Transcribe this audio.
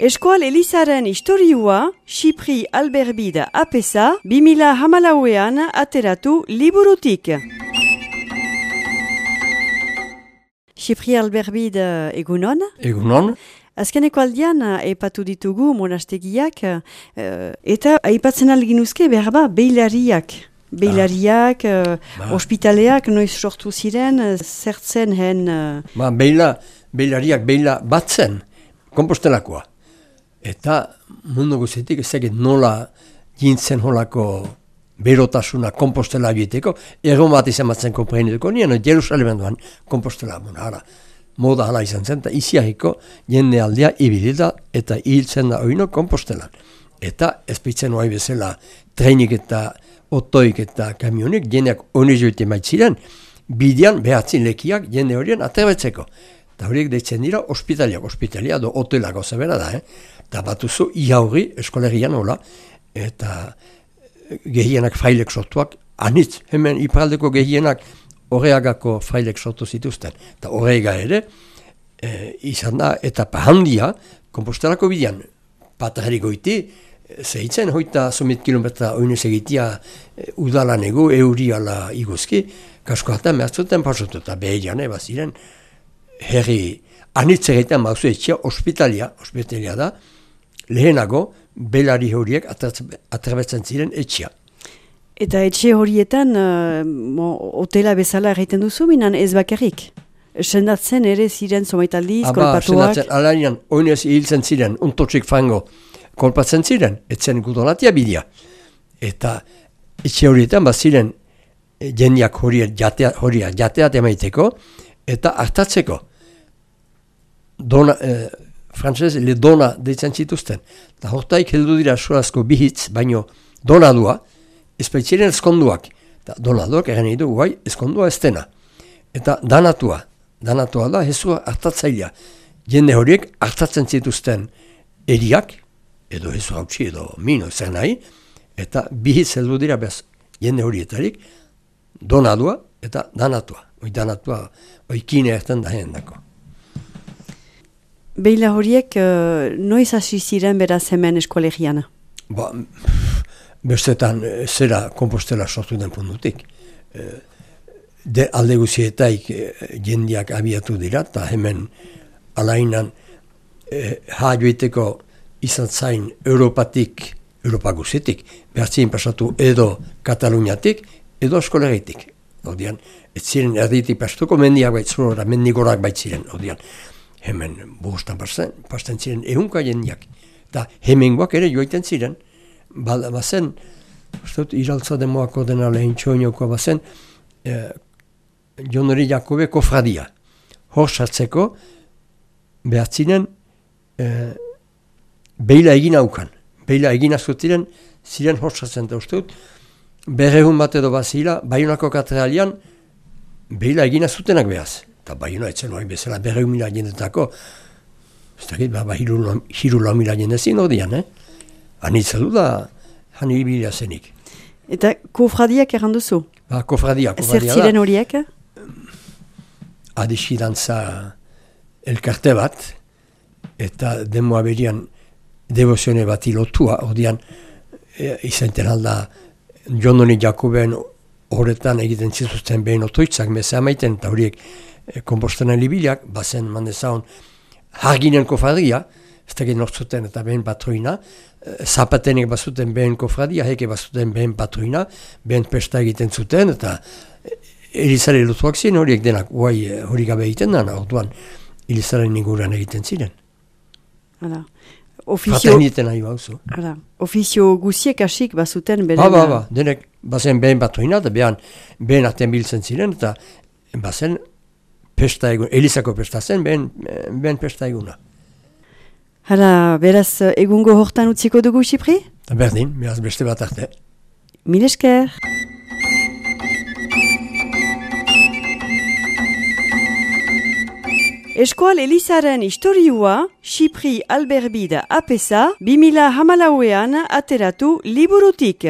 Eskoal Elizaren historiua, Xipri Alberbide apesa, 2014an ateratu liburutik. Xipri Alberbide egunon? Egunon. Azkeneko aldian aipatu ditugu monastegiak, eta aipatzen alginuzke berba beilariak. Beilariak, ospitaleak, noiz sortu ziren, zertzen hen... Beilariak beila batzen, Kompostelakoa. Eta mundu guzitik ezagit nola jintzen holako berotasuna Kompostela egiteko, egon bat izan batzen kompreniduko, nien Jerusalemen duan Kompostela moda hala izan zen, eta iziahiko jende aldea ibilida eta hiltzen da oino Kompostelan. Eta ezpeitzen oai bezala trenik eta otoik eta kamionik jendeak onizuite maitziren, bidean behatzin lekiak jende horien aterbetzeko. Eta horiek deitzen dira ospitalia do hotelako zebera da, Eta batuzu iaurri eskolerian hola, eta gehienak frailek sortuak, anitz, hemen iparaldeko gehienak horreagako frailek sortu zituzten. Eta horrega ere, izan da, etapa handia, Kompostelako bidean, patarriko iti, zehitzen, hoita 100 kilometra oinez egitea udalan ego, euriala iguzki, kasko hartan mehatzuten pasatu, eta behirian, baziren, herri, anitz egiten bauzu etxea, ospitalia da, lehenago, belari horiek atrebetzen ziren etxea. Eta etxe horietan, hotela bezala egiten duzu, minan ez bakarrik? Sendatzen ere ziren somaitaldiz, kolpatuak? Sendatzen, alainan, oinez hiltzen ziren, untotxik frango, kolpatzen ziren, etzen gudolatia bidea. Eta etxe horietan, ziren jendeak jateat emaiteko, eta hartatzeko. Frantzez, le dona deitzen zituzten. Eta hortaik heldu dira surazko bihitz, baino donadua, ezpaitziren ezkonduak. Eta donaduak egen edo guai, ezkondua ez dena. Eta danatua da, hezua hartatzailea. Jende horiek hartatzen zituzten eriak, edo hezu hautsi, edo mino zer nahi, eta bihitz heldu dira bez, jende horietarik, donadua eta danatua. Danatua, oikine erten da dako. Beila horiek noiz hasi ziren beraz hemen eskolegian? Bestetan zera Kompostela sortu den puntutik. Alde guzietaik jendeak abiatu dira, eta hemen alainan joiteko izan zain Europa guzitik, behartzien pasatu edo Kataluniatik, edo eskolegitik. Odian, ez ziren erditik pastuko mendiak baitzulora, mendigorak baitziren, odian. Hemen bostan pasten ziren ehunka jendiak. Eta hemengoak ere joiten ziren. Bazen, iraltza demoako dena lehen txoinoko bazen, Jonori Jakobe kofradia. Hor sartzeko, behatzinen, beila egin haukan. Beila egin azutiren, ziren hor sartzen da uste dut. Berrehun bat edo bazila, Baionako katedralian, beila egin azutenak behaz. Eta Baiona etzen oain bezala 100.000 jendetako, ez dakit, hiru lau mila jendezin odian, Anitzelu da, hani ibilia zenik. Eta kofradiak erranduzu? Kofradia da. Zer ziren horiek? Adixidantza elkarte bat, eta demoa berian devozione bat ilotua, odian, izaiten alda, Jononi Jakoben horretan egiten zituzten behin otoitzak, meza amaiten, eta horiek Kompostena libiliak, bazen mandezaun harginen kofradia, ez dakit nortzuten eta behen patroina, zapatenek bazuten behen kofradia, heke bazuten behen patroina, behen pesta egiten zuten, eta Elizare lutuak ziren horiek denak, hori gabe egiten dana, orduan Elizaren inguruan egiten ziren. Fraterniten nahi bauzu. Ofizio guziek asik bazuten beren... Denek bazen behen patroina, eta behen artean biltzen ziren, eta bazen pesta egun, Elizako pesta zen, behen pesta eguna. Beraz, egungo hortan utziko dugu, Xipri? Berdin, beraz beste bat arte. Mil esker. Eskoal Elizaren historiua, Xipri Alberbide apesa, 2014an ateratu liburutik.